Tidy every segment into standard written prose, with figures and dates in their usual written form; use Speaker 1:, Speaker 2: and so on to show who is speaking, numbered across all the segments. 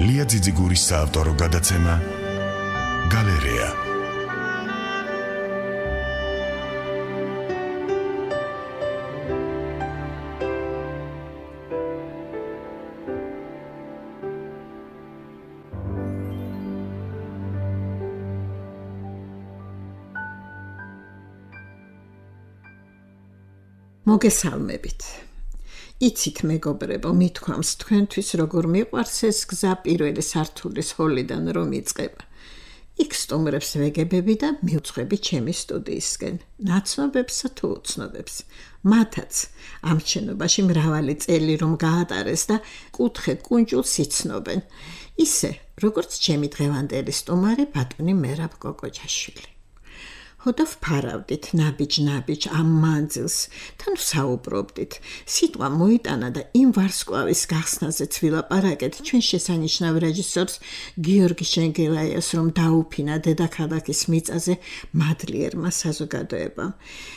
Speaker 1: ლია ძიძიგურის საავტორო გადაცემა გალერეა.
Speaker 2: მოგესალმებით. იცით მეგობრებო, მithქვამს თქვენთვის როგორ მიყვარს ეს გზა პირველი სართულის ჰოლიდან რომ იწყება. იქ სტუმრებს ვეგებები და მივწვევი ჩემი სტუდიისკენ, ნაცნობებსა თუ უცნობებს. მათაც ამ შენობაში მრავალი წელი რომ გაატარეს და კუთხე კუნჭულს იცნობენ. ისე, როგორც ჩემი დღევანდელი სტუმარი ბატონი მერაბ კოკოჯაშვილი. ხოდა ვფარავდით ნაბიჯ ამ მანძილს, თან ვსაუბრობდით. სიტყვა მოიტანა და იმ ვარსკვლავის გახსნაზეც ვილაპარაკეთ ჩვენ შესანიშნავ რეჟისორს გიორგი შენგელაიას, რომ დაუფინა დედაქალაქის მიწაზე მადლიერმა საზოგადოებამ.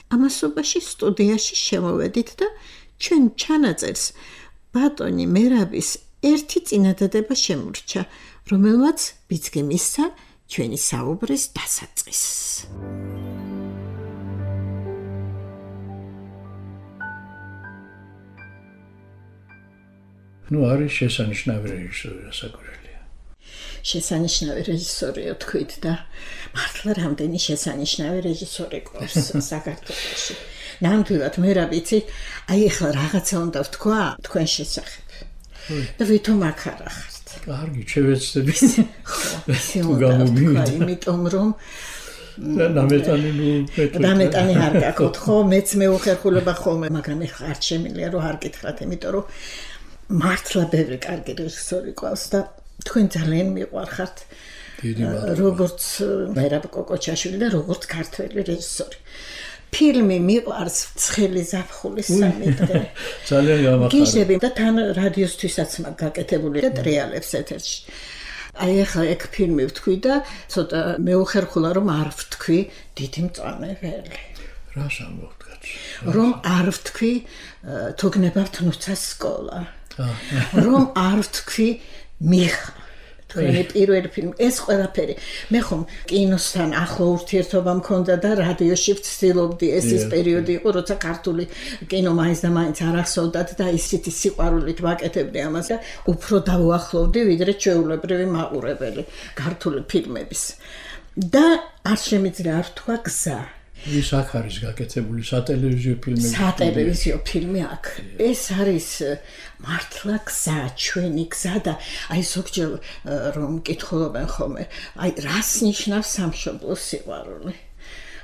Speaker 2: ამასობაში სტუდიაში შემოვედით და ჩვენ ჩანაწერს ბატონი მერაბის ერთი წინადადება შემურჩა, რომელმაც ბიძგი მისცა ჩვენი საუბრის დასაწყისს.
Speaker 3: არის შესანიშნავი რეჟისორი რასაკვირველია.
Speaker 2: შესანიშნავი რეჟისორია თქვით და მართლა რამდენი შესანიშნავი რეჟისორი გვაქვს საქართველოში. ნამდვილად მერაბიცი, აი ახლა რაღაცა უნდა ვთქვა თქვენ შესახებ. და ვითომ აქ არ ახართ.
Speaker 3: კარგი, შევეცდები.
Speaker 2: თუ გამომივიდა, იმიტომ რომ დამეტანი არ გაკოთ, ხო, მეც მეუხერხულება ხოლმე, მაგრამ ეხლა არ შემიძლია რომ არ გითხრათ, იმიტომ რომ მართლა ბევრი კარგი რეჟისორი ყავს და თქვენ ძალიან მიყვარხართ. როგორც მერაბ კოკოჯაშვილი და როგორც ქართველი რეჟისორი. ფილმი მიყვარს ცხელი ზაფხულის სამი დღე.
Speaker 3: ძალიან გამახარდა.
Speaker 2: გიჟდები და თან რადიოსთვისაც გაკეთებული და ტრიალებს ეთერში. აი ახლა ეგ ფილმი ვთქვი და ცოტა მეუხერხულა რომ არ ვთქვი დიდი მწვანე-ველი.
Speaker 3: რას ამბობთ კაცი?
Speaker 2: რომ არ ვთქვი თუ გნებავთ ნუცას სკოლა. რომ არ ვთქვი მიხა. თქვენი პირველი ფილმი, ეს ყველაფერი. მე ხომ კინოსთან ახლო ურთიერთობა მქონდა და რადიოში ვცდილობდი, ეს ის პერიოდი იყო, როცა ქართული კინო მაინც და მაინც არ ახსოვდათ და ისეთი სიყვარულით ვაკეთებდი ამას და უფრო დავუახლოვდი, ვიდრე ჩვეულებრივი მაყურებელი ქართული ფილმების. და არ შემიძლია არ ვთქვა გზა.
Speaker 3: ის აქ არის გაკეთებული სატელევიზიო ფილმები.
Speaker 2: სატელევიზიო ფილმი აქ. ეს არის მართლა გზა, ჩვენი გზა და აი ზოგჯერ რომ მკითხულობენ ხოლმე, აი რას ნიშნავს სამშობლო სიყვარული.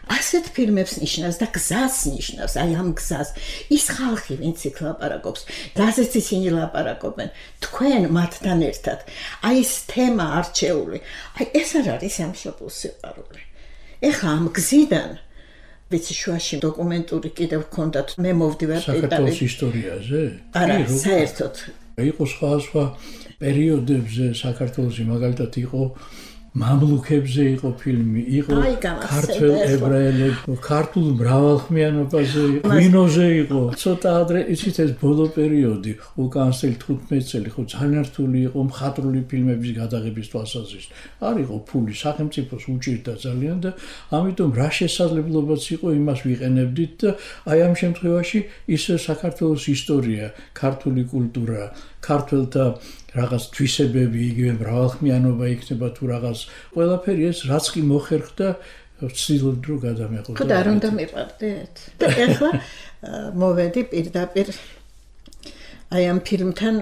Speaker 2: ასეთ ფილმებს ნიშნავს და გზას ნიშნავს, აი ამ გზას. ის ხალხი, ვინც იქ ლაპარაკობს, რაზეც ისინი ლაპარაკობენ, თქვენ მათთან ერთად. აი ეს თემა არჩეული. აი ეს არ არის სამშობლო სიყვარული. ეხლა ამ გზიდან ვიცი შუაში დოკუმენტური კიდევ გქონდათ, მე მოვდივარ
Speaker 3: საქართველოს ისტორიაზე?
Speaker 2: არა, საერთოდ.
Speaker 3: იყო სხვა პერიოდებზე საქართველოში, მაგალითად იყო მამლუქებზე იყო ფილმი, იყო ქართველ ებრაელებზე, ქართულ მრავალხმიანობაზე, ღვინოზე იყო. ცოტა ადრე იცით ეს ბოლო პერიოდი, უკან 15 წელი ხო ძალიან რთული იყო მხატვრული ფილმების გადაღების თვალსაზრისით. არ იყო ფული, სახელმწიფოს უჭირდა ძალიან და ამიტომ რა შესაძლებლობაც იყო იმას ვიყენებდით და აი ამ შემთხვევაში ისე საქართველოს ისტორია, ქართული კულტურა, ქართველთა რაღაც თვისებები, იგივე მრავალხმიანობა იქნება თუ რაღაც ყველაფერი ეს რაც კი მოხერხდა ვცდილობდი რომ გადამეყო.
Speaker 2: ხო და არ უნდა მივყავდეთ. და ახლა მოვედი პირდაპირ აი ამ ფილმთან,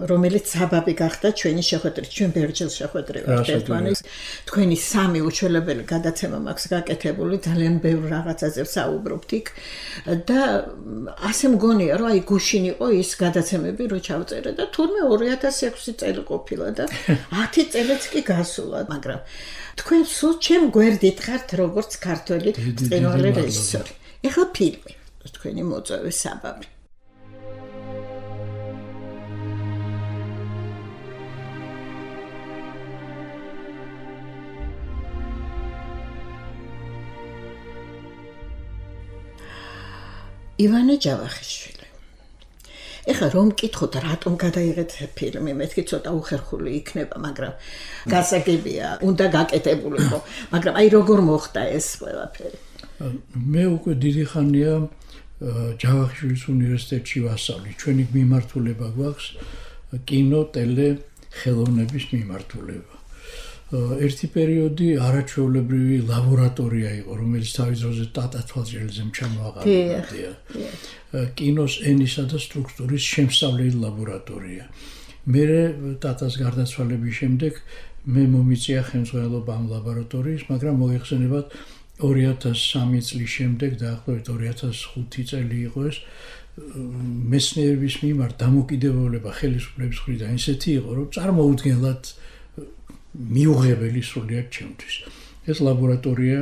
Speaker 2: რომელიც საბაბი გახდა ჩვენი შეხვედრით, ჩვენ ბერჯელ შეხვედრივართ ერთმანეთს. თქვენი სამი უჩვენებელი გადაცემა მაქვს გაკეთებული, ძალიან ბევრ რაღაცაზე ვსაუბრობთ იქ და ასე მგონია, რომ აი გუშინ იყო ის გადაცემები, რო ჩავწერე და თურმე 2006 წელი ყოფილა და 10 წელიც კი გასულა, მაგრამ თქვენ სულ ჩემ გვერდით ხართ როგორც ქართველი წინვალე რეჟისორი. ეხლა ფილმი, თქვენი მოწვევის საბაბი. ივანე ჯავახიშვილი. ეხლა რომ მკითხოთ რატომ გადაიღეთ ფილმი, მეთქი ცოტა უხერხული იქნება, მაგრამ გასაგებია, უნდა გაკეთებულიყო, მაგრამ აი როგორ მოხდა ეს ყველაფერი?
Speaker 3: მე უკვე დიდი ხანია ჯავახიშვილის უნივერსიტეტში ვასწავლი. ჩვენი მიმართულება გვაქვს კინო, ტელე, ხელოვნების მიმართულება. ერთი პერიოდი არაჩვეულებრივი ლაბორატორია იყო, რომელიც თავის დროზე ტატა თვალჭრელიძემ ჩამოაყალიბა. კინოს ენისა და სტრუქტურის შემსწავლელი ლაბორატორია. მე ტატას გარდაცვალების შემდეგ მე მომიწია ხელმძღვანელობა ამ ლაბორატორიის, მაგრამ მოიხსენებათ 2003 წლის შემდეგ დაახლოებით 2005 წელი იყო ეს მეცნიერების მიმართ დამოკიდებულება ხელისუფლების მხრიდან ისეთი იყო, რომ წარმოუდგენლად მიუღებელი სრულიად ჩემთვის. ეს ლაბორატორია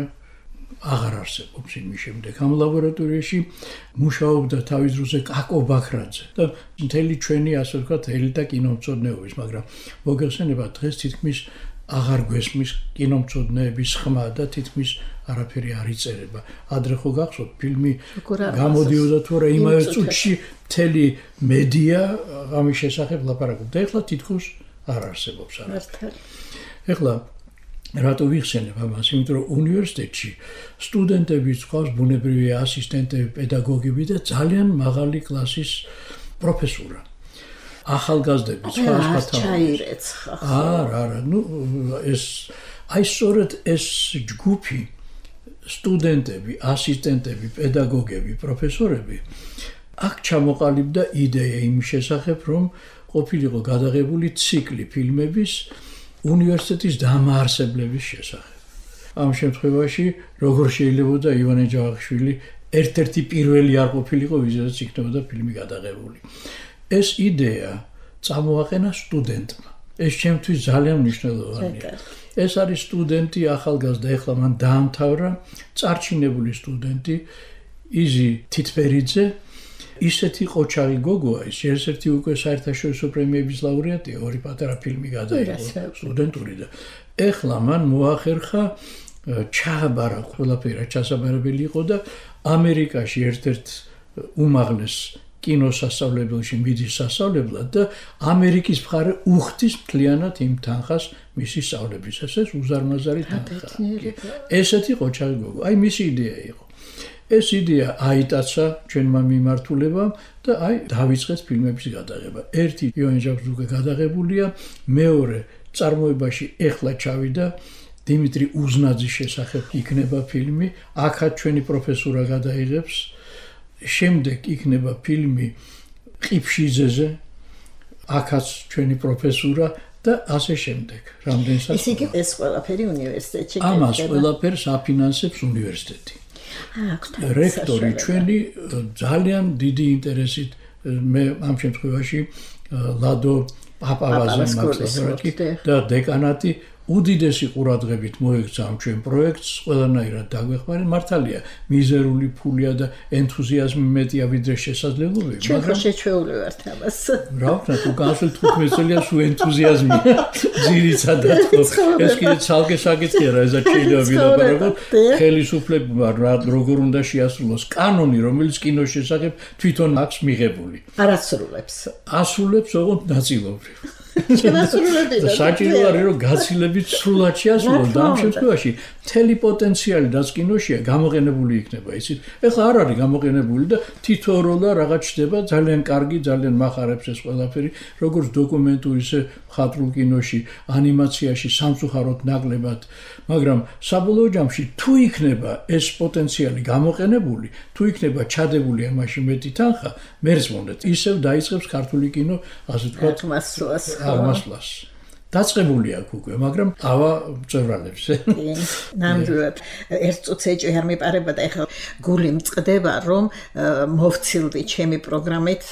Speaker 3: აღარ არსებობს იმის შემდეგ. ამ ლაბორატორიაში მუშაობდა თავის დროზე კაკო ბაქრაძე და მთელი ჩვენი ასე ვთქვათ ელიტა კინომცოდნეობის, მაგრამ მოგეხსენებათ დღეს თითქმის აღარ გვესმის კინომცოდნეების ხმა და თითქმის არაფერი არ იწერება. ადრე ხო გახსოვთ ფილმი გამოდიოდა თუ არა იმავე წუთში მთელი მედია ამის შესახებ ლაპარაკობდა. ეხლა თითქოს არ არსებობს არაფერი. ეხლა რატო ვიხსენებ ამას? იმიტომ რომ უნივერსიტეტში სტუდენტები ყავს ბუნებრივი ასისტენტები, პედაგოგები და ძალიან მაღალი კლასის პროფესურა. ახალგაზრდები სხვა
Speaker 2: ჩაირეცხა.
Speaker 3: არა, ეს აი სწორედ ეს ჯგუფი სტუდენტები, ასისტენტები, პედაგოგები, პროფესორები აქ ჩამოყალიბდა იდეა იმის შესახებ, რომ ყოფილიყო გადაღებული ციკლი ფილმების უნივერსიტეტის დამაარსებლების შესახებ. ამ შემთხვევაში როგორ შეიძლებოდა ივანე ჯავახიშვილი ერთ-ერთი პირველი არ ყოფილიყო, ვიზედაც იქნებოდა ფილმი გადაღებული. ეს იდეა წამოაყენა სტუდენტმა. ეს ჩემთვის ძალიან მნიშვნელოვანია. ეს არის სტუდენტი ახალგაზრდა, ეხლა მან დაამთავრა, წარჩინებული სტუდენტი იზი თითბერიძე, ისეთი ყოჩაღი გოგოა, ის ერთ-ერთი უკვე საერთაშორისო პრემიების ლაურეატია, ორი პატარა ფილმი გადაიღო სტუდენტური და ეხლა მან მოახერხა ჩააბარა ყველაფერი ჩასაბარებელი იყო და ამერიკაში ერთ-ერთ უმაღლეს კინოსასწავლებელში მიდის სასწავლებლად და ამერიკის მხარე უხდის მთლიანად იმ თანხას მისი სწავლებისას. ეს უზარმაზარი თანხა. ესეთი ყოჩაღი გოგო. აი მისი იდეა იყო. ეს იდეა აიტაცა ჩვენმა მიმართულებამ და აი დავიწყეთ ფილმების გადაღება. ერთი ივანე ჯავახიშვილის გადაღებულია, მეორე წარმოებაში ეხლა ჩავიდა დიმიტრი უზნაძის შესახებ იქნება ფილმი, აქაც ჩვენი პროფესურა გადაიღებს. შემდეგ იქნება ფილმი ყიფშიძეზე, აქაც ჩვენი პროფესურა და ასე შემდეგ. რამდენსაც
Speaker 2: ესე იგი ეს ყველაფერი უნივერსიტეტში
Speaker 3: ამას ყველაფერს აფინანსებს უნივერსიტეტი. რექტორი ჩვენი ძალიან დიდი ინტერესით მე ამ შემთხვევაში ლადო პაპავაზე მართლაც და დეკანატი უდიდესი ყურადღებით მოექცა ამ ჩვენ პროექტს, ყველანაირად დაგვეხმარეთ. მართალია, მიზერული ფულია და ენთუზიაზმი მეტია ვიდრე შესაძლებლობები,
Speaker 2: მაგრამ შეჩვეული ვართ ამას.
Speaker 3: რა ვქნა, თუ განსველი 15 წელია სულ ენთუზიაზმია ძირითადად. ეს კიდე ცალკე საკითხია რა, ესა შეიძლება ვილაპარაკოთ. ხელისუფლებმა როგორ უნდა შეასრულოს კანონი, რომელიც კინოს შესახებ თვითონ აქვს მიღებული.
Speaker 2: არ ასრულებს.
Speaker 3: ასრულებს ოღონდ ნაწილობრივ. საჭირო არის რომ გაცილებით სრულად შეასრულოს და ამ შემთხვევაში მთელი პოტენციალი რაც კინოშია გამოყენებული იქნება იცით. ეხლა არ არის გამოყენებული და თითოეულ რაღაც ჩდება ძალიან კარგი, ძალიან მახარებს ეს ყველაფერი, როგორც დოკუმენტურ ისე მხატვრულ კინოში, ანიმაციაში სამწუხაროდ ნაკლებად, მაგრამ საბოლოო ჯამში თუ იქნება ეს პოტენციალი გამოყენებული, თუ იქნება ჩადებული ამაში მეტი თანხა, მერც მომდეთ ისევ დაიწყებს ქართული კინო, ასე ვთქვათ, აღმასვლას. დაწყებული აქვს უკვე, მაგრამ ავა მწვერვალებს.
Speaker 2: ნამდვილად, ერთ წუთს ეჭვი არ მიპარება და ეხლა გული მწყდება, რომ მოვცილდი ჩემი პროგრამით,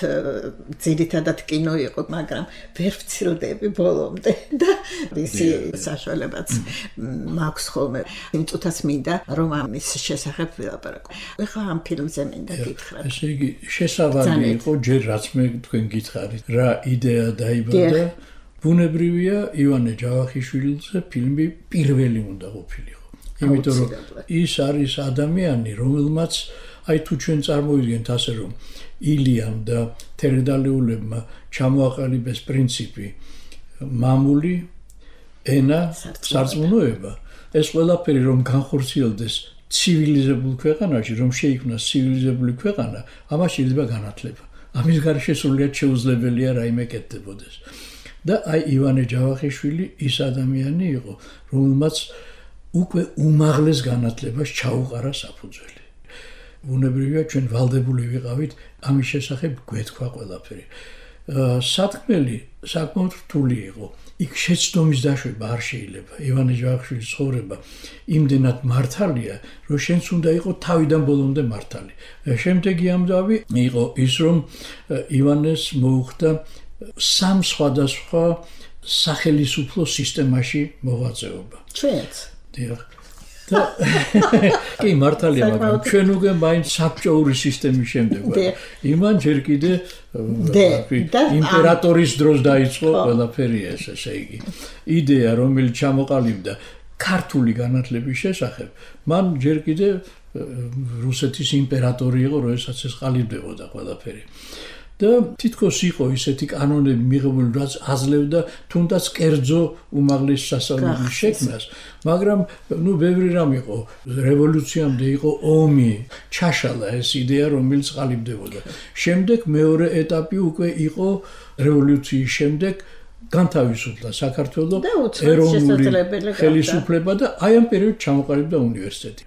Speaker 2: ძირითადად კინო იყო, მაგრამ ვერ ვცილდები ბოლომდე და ისი საშუალებაც მაქვს ხოლმე. იმ წუთას მინდა რომ ამის შესახებ ვილაპარაკო. ეხლა ამ ფილმზე მინდა გითხრათ.
Speaker 3: ესე იგი, შესავალი იყო ჯერ რაც მე თქვენ გითხარით, რა იდეა დაიბადა. ბუნებრივია ივანე ჯავახიშვილზე ფილმი პირველი უნდა ყოფილიყო. იმიტომ რომ ის არის ადამიანი, რომელმაც აი თუ ჩვენ წარმოვიდგენთ ასე რომ ილიამ და თერგდალეულებმა ჩამოაყალიბეს პრინციპი მამული ენა სარწმუნოება ეს ყველაფერი რომ განხორციელდეს ცივილიზებულ ქვეყანაში რომ შეიქმნას ცივილიზებული ქვეყანა ამას შეიძლება განათლება ამის გარშე სრულიად შეუძლებელია რაიმე კეთდებოდეს და აი ივანე ჯავახიშვილი ის ადამიანი იყო რომელმაც უკვე უმაღლეს განათლებას ჩაუყარა საფუძველი უნებრივია ჩვენ ვალდებული ვიყავით ამის შესახებ გვეთქვა ყველაფერი სათქმელი საკმაოდ რთული იყო იქ შეცდომის დაშვება არ შეიძლება ივანე ჯავახიშვილის ცხოვრება იმდენად მართალია რომ შენც უნდა იყო თავიდან ბოლომდე მართალი შემდეგი ამბავი იყო ის რომ ივანეს მოუხდა სამ სხვადასხვა სახელისუფლო სისტემაში მოღვაწეობა
Speaker 2: ჩვენც
Speaker 3: დიახ კი მართალია მაგრამ ჩვენ უკვე მაინც საბჭოური სისტემის შემდეგ ვართ იმან ჯერ კიდე იმპერატორის დროს დაიწყო ყველაფერი ესე იგი იდეა რომელიც ჩამოყალიბდა ქართული განათლების შესახებ მან ჯერ კიდე რუსეთის იმპერატორი იყო როდესაც ეს ყალიბდებოდა ყველაფერი და თითქოს იყო ისეთი კანონები მიღებული რაც აძლევდა თუნდაც კერძო უმაღლეს სასწავლებლის შექმნას მაგრამ ნუ ბევრი რამ იყო რევოლუციამდე იყო ომი ჩაშალა ეს იდეა რომელიც ყალიბდებოდა შემდეგ მეორე ეტაპი უკვე იყო რევოლუციის შემდეგ განთავისუფლდა საქართველოს ეროვნული ხელისუფლება და აი ამ პერიოდში ჩამოყალიბდა უნივერსიტეტი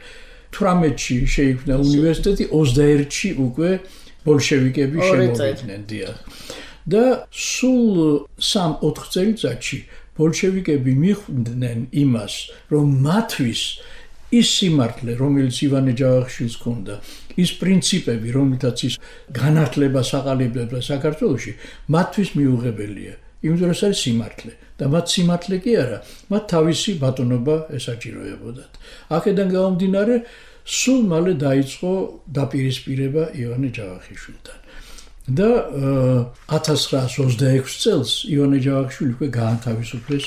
Speaker 3: 18-ში შეიქმნა უნივერსიტეტი 21-ში უკვე ბოლშევიკები შემოვიდნენ დიახ და სულ 3-4 წელიწადში ბოლშევიკები მიხვდნენ იმას რომ მათთვის ის სიმართლე რომელიც ივანე ჯავახიშვილს ჰქონდა ის პრინციპები რომელთაც ის განათლებას აყალიბებდა საქართველოში მათთვის მიუღებელია იმიტომ რომ ეს არის სიმართლე და მათ სიმართლე კი არა მათ თავისი ბატონობა ესაჭიროებოდათ აქედან გამომდინარე სულ მალე დაიწყო დაპირისპირება ივანე ჯავახიშვილთან და 1926 წელს ივანე ჯავახიშვილი უკვე გაანთავისუფლეს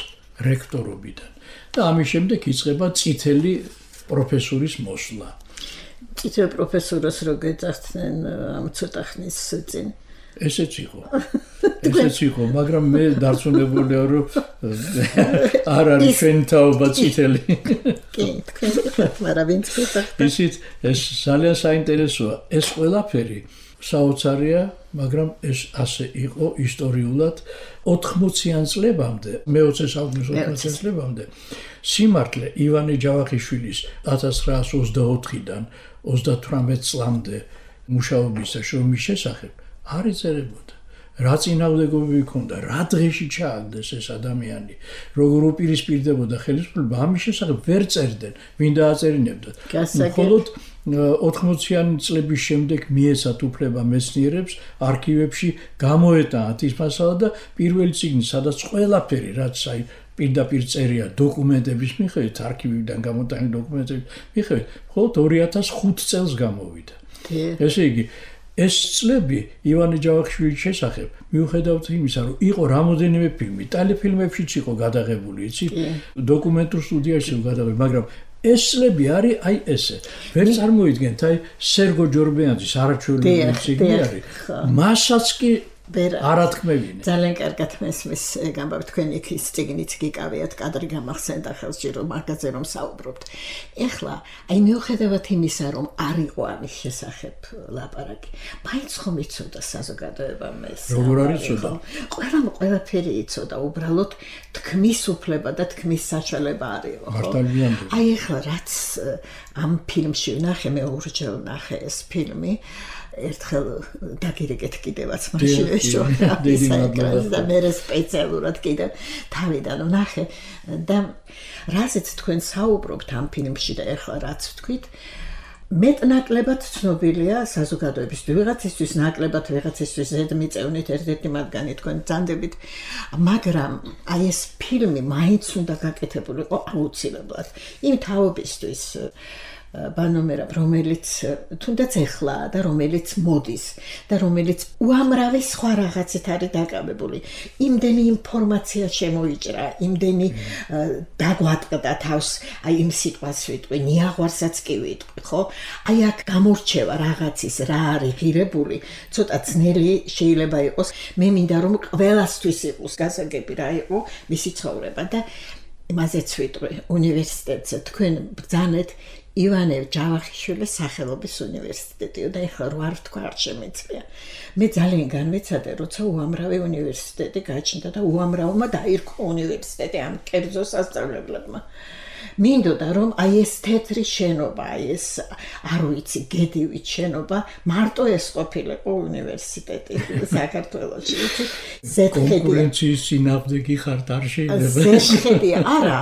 Speaker 3: რექტორობიდან და ამის შემდეგ იწყება წითელი პროფესურის მოსვლა
Speaker 2: წითელ პროფესურას რო გეძახდნენ ამ ცოტა ხნის წინ
Speaker 3: ესეც იყო მაგრამ მე დარწმუნებულია რომ არ არის ჩვენ თაობა წითელი
Speaker 2: კი მაგრამ ვინც
Speaker 3: ისიც ეს ძალიან საინტერესოა ეს ყველაფერი საოცარია მაგრამ ეს ასე იყო ისტორიულად 80-იან წლებამდე მე-20 საუკუნის 80-იან წლებამდე სიმართლე ივანე ჯავახიშვილის 1924-დან 38 წლამდე მუშაობის და შრომის შესახებ არ იწერებოდა რა წინააღმდეგობები ჰქონდა რა დღეში ჩააგდეს ეს ადამიანი როგორ უპირისპირდებოდა ხელისუფლება ამის შესახებ ვერ წერდნენ ვინ დააწერინებდათ მხოლოდ 80-იანი წლების შემდეგ მიეცათ უფლება მეცნიერებს არქივებში გამოეტანათ ის მასალა და პირველი წიგნი სადაც ყველაფერი რაც აი პირდაპირ წერია დოკუმენტების მიხედვით არქივიდან გამოტანილი დოკუმენტების მიხედვით მხოლოდ 2005 წელს გამოვიდა ესე იგი ეს წლები ივანე ჯავახიშვილის შესახებ მიუხედავად იმისა რომ იყო რამოდენიმე ფილმი ტელეფილმებშიც იყო გადაღებული იცით დოკუმენტურ სტუდიაში იყო გადაღებული მაგრამ ეს წლები არის აი ესე ვერ წარმოიდგენთ აი სერგო ჯორბიანძის არაჩვეულებრივი წიგნი არის მასაც კი არათქმევინე
Speaker 2: ძალიან კარგად მესმის გამბავი თქვენ იქ ის წიგნიც გიკავიათ კადრი გამახსენდა ხელს ჯერ მაგაზე რომ საუბრობთ ეხლა აი მიუხედავად იმისა რომ არ იყო ამის შესახებ ლაპარაკი მაინც ხომ იცოდა საზოგადოებამ ეს
Speaker 3: როგორ არ იცოდა
Speaker 2: ყველაფერი იცოდა უბრალოდ თქმის უფლება და თქმის საშუალება არ იყო
Speaker 3: მართალია
Speaker 2: აი ეხლა რაც ამ ფილმში ვნახე მე ორჯერ ვნახე ეს ფილმი ერთხელ დაგირეკეთ კიდევაც მაშინ და მე სპეციალურად კიდევ თავიდან ვნახე და რაზეც თქვენ საუბრობთ ამ ფილმში და ეხლა რაც ვთქვით მეტნაკლებად ცნობილია საზოგადოებისთვის ვიღაცისთვის ნაკლებად ვიღაცისთვის ზედმიწევნით ერთ-ერთი მათგანი თქვენ ძანდებით მაგრამ აი ეს ფილმი მაინც უნდა გაკეთებულიყო აუცილებლად იმ თაობისთვის ბანომერაბ, რომელიც თუნდაც ეხლა და რომელიც მოდის და რომელიც უამრავი სხვა რაღაცით არის დაკავებული. იმდენი ინფორმაცია შემოიჭრა, იმდენი დაგვატყდა თავს, აი იმ სიტყვას ვიტყვი, ნიაღვარსაც კი ვიტყვი, ხო? აი აქ გამორჩევა რაღაცის რა არის ღირებული, ცოტა ძნელი შეიძლება იყოს. მე მინდა რომ ყველასთვის იყოს გასაგები რა იყო მისი ცხოვრება და იმაზეც ვიტყვი უნივერსიტეტზე თქვენ ბრძანეთ ივანე ჯავახიშვილის სახელობის უნივერსიტეტი და ეხლა რო არ თქვა არ შემეძლია. მე ძალიან განმეცადე, როცა უამრავი უნივერსიტეტი გაჩნდა და უამრავმა დაირქვა უნივერსიტეტი ამ კერძო სასწავლებლებმა. მინდოდა რომ აი ეს თეთრი შენობა, აი ეს არ ვიცი, გედივით შენობა, მარტო ეს ყოფილიყო უნივერსიტეტი საქართველოში.
Speaker 3: კონკურენციის წინააღმდეგი ხართ არ შეიძლება.
Speaker 2: ზეშხედია, არა,